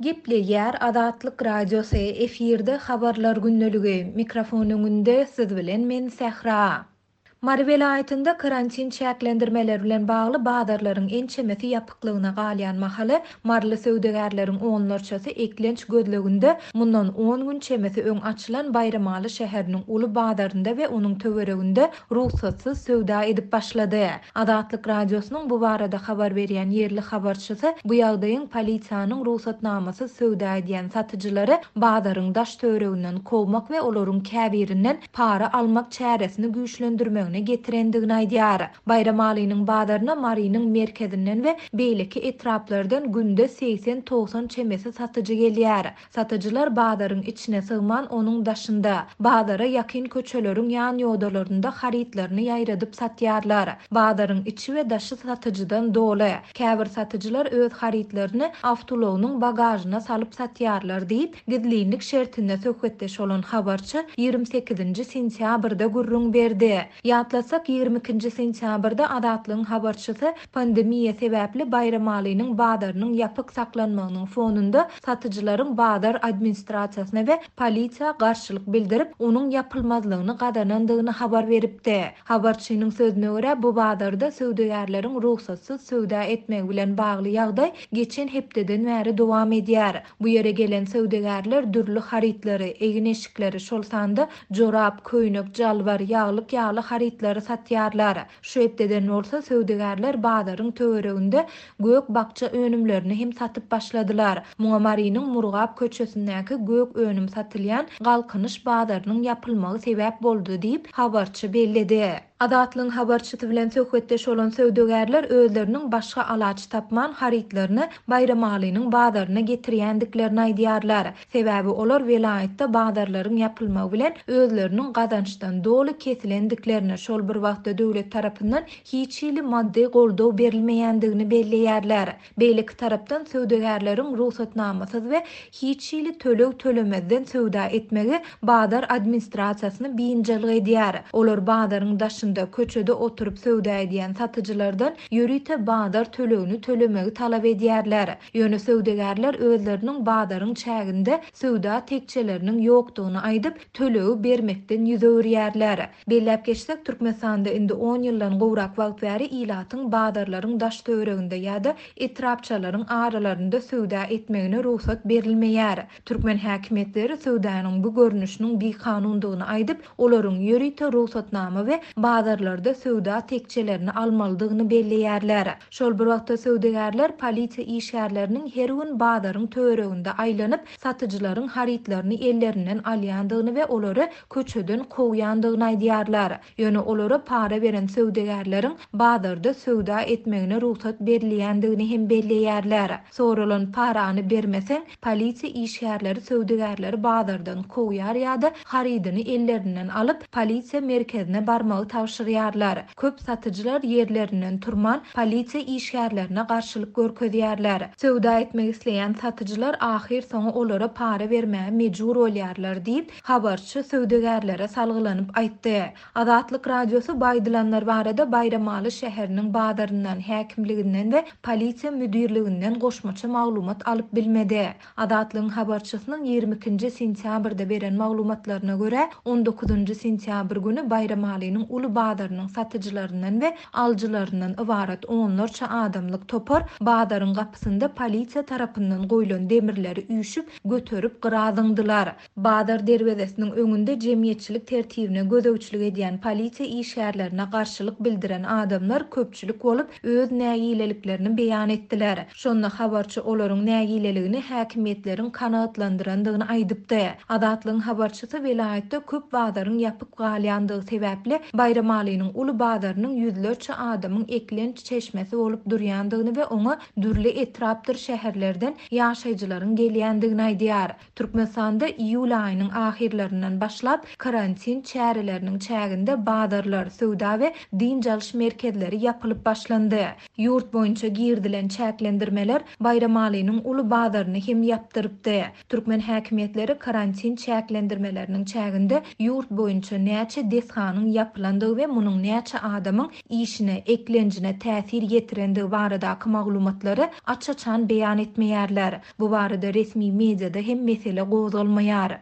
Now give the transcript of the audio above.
Gepleýär Azatlyk Radiosy, efirde Habarlar gündeligi, mikrofon öňünde siz bilen men Sähra. Mary welaýatynda karantin çäklendirmeleri bilen bagly bazarlaryň ençemesi ýapyklygyna galýan mahaly, maryly söwdagärleriň onlarçasy eklenç gözleginde mundan on gün çemesi öň açylan Baýramaly şäheriniň uly bazarynda we onuň töwereginde rugsatsyz söwda edip başlady. Azatlyk Radiosynyň bu barada habar berýän ýerli habarçysy bu ýagdaýyň polisiýanyň rugsatnamasyz söwda edýän satyjylary bazaryň daş-töwereginden kowmak we olaryň käbirinden para almak çäresini güýçlendirmegine getirendigini aýdýar. Baýramalynyň bazaryna Marynyň merkezinden we beýleki etraplardan günde 80-90 çemesi satyjy gelýär. Satyjylar bazaryň içine sygman onuň daşynda, bazara ýakyn köçeleriň ýan-ýodalarynda harytlaryny ýaýradyp satýarlar. Bazaryň içi we daşy satyjydan doly. Käbir satyjylar öz harytlaryny awtoulagynyň bagažyna salyp satýarlar diýip, gizlinlik şertinde söhbetdeş bolan habarçy 28-nji sentýabrda gürrüň berdi. Ýatlatsak, 22-nji sentýabrda Azatlygyň habarçysy pandemiýa sebäpli Baýramalynyň bazarynyň ýapyk saklanmagynyň fonunda satyjylaryň bazar administrasiýasyna we polisiýa garşylyk bildirip, onuň ýapylmazlygyny gazanandygyny habar beripdi. Habarçynyň sözüne görä, bu bazarda söwdagärleriň rugsatsyz söwda etmegi bilen bagly ýagdaý geçen hepdeden bäri dowam edýär. Bu ýere gelen söwdagärler dürli harytlary, egin-eşikleri, şol sanda jorap, köýnek, jalbar, ýaglyk ýaly harytlary satýarlar. Şu hepdeden bolsa söwdagärler bazaryň töwereginde gök-bakja önümlerini hem satyp başladylar. Muňa Marynyň Murgap köçesindäki gök önüm satylýan Galkynyş bazarynyň ýapylmagy sebäp boldy diýip, habarçy belledi. Azatlygyň habarçysy bilen söhbetdeş bolan söwdagärler özleriniň başga alaç tapman harytlaryny Baýramalynyň bazaryna getirýändiklerini aýdýarlar. Sebäbi olar welaýatda bazarlaryň ýapylmagy bilen özleriniň gazançdan doly kesilendiklerini, şol bir wagtda döwlet tarapyndan hiç hili maddy goldaw berilmeýändigini belleýärler. Beýleki tarapdan, söwdagärleriň rugsatnamasyz we hiç hili töleg tölemezden söwda etmegi bazar administrasiýasyny biynjalyk edýär. Olar bazaryň daşynda, köçede oturyp söwda edýän satyjylardan ýörite bazar tölegini tölemegi talap edýärler. Ýöne söwdagärler özleriniň bazaryň çäginde söwda tekjeleriniň ýokdugyny aýdyp, tölegi bermekden ýüz öwürýärler. Belläp geçsek, Türkmenistanda indi on ýyldan gowrak wagt bäri ilatyň bazarlaryň daş-töwereginde ýa-da etrapçalaryň aralarynda söwda etmegine rugsat berilmeýär. Türkmen häkimiýetleri söwdanyň bu görnüşiniň bikanundygyny aýdyp, olaryň ýörite rugsatnama we bazarlarda söwda tekjelerini almalydygyny belleýärler. Şol bir wagtda söwdagärler polisiýa işgärleriniň her gün bazaryň töwereginde aýlanyp, satyjylaryň harytlaryny ellerinden alýandygyny we olary köçeden kowýandygyny aýdýarlar. Ýöne olara para beren söwdagärleriň bazarda söwda etmegine rugsat berilýändigini hem belleýärler. Soralan parany bermeseň, polisiýa işgärleri söwdagärleri bazardan kowýar ýa-da harydyny ellerinden alyp, polisiýa merkezine barmagy tabşyrýarlar. Köp satyjylar ýerlerinden turman, polisiýa işgärlerine garşylyk görkezýärler. Söwda etmek isleýän satyjylar ahyrsoňy olara para bermäge mejbur bolýarlar diýip, habarçy söwdagärlere salgylanyp aýtdy. Azatlyk Radiosy bu aýdylanlar barada Baýramaly şäheriniň bazaryndan, häkimliginden we polisiýa müdirliginden goşmaça maglumat alyp bilmedi. Azatlygyň habarçysynyň 22-nji sentýabrda beren maglumatlaryna görä, on dokuzynjy sentýabr güni Baýramalynyň uly bazarynyň satyjylaryndan we alyjylaryndan ybarat onlarça adamlyk topar bazaryň gapysynda polisiýa tarapyndan goýlan demirleri üýşüp, göterip gyra zyňdylar. Bazar derwezesiniň öňünde jemgyýetçilik tertibine gözegçilik edýän polisiýa işgärlerine garşylyk bildiren adamlar köpçülik bolup, öz nägileliklerini beýan etdiler. Şonda habarçy olaryň nägileligini häkimiýetleriň kanagatlandyrandygyny aýdypdy. Azatlygyň habarçysy welaýatda köp bazaryň ýapyk galýandygy sebäpli Baýramalynyň uly bazarynyň ýüzlerçe adamyň eklenç çeşmesi bolup durýandygyny we oňa dürli etrapdyr şäherlerden ýaşaýjylaryň gelýändigini aýdýar. Türkmenistanda iýul aýynyň ahyrlaryndan başlap, karantin çäreleriniň çäginde bazarlar, söwda we dynç alyş merkezleri ýapylyp başlandy. Ýurt boýunça girizilen çäklendirmeler Baýramalynyň uly bazaryny hem ýapdyrypdy. Türkmen häkimiýetleri karantin çäklendirmeleriniň çäginde ýurt boýunça näçe desganyň ýapylandygy. ýapylandygy we munuň näçe adamyň işine, eklenjine täsir ýetirendigi baradaky maglumatlary aç-açan beýan etmeýärler. Bu barada resmi mediada hem mesele gozgalmaýar.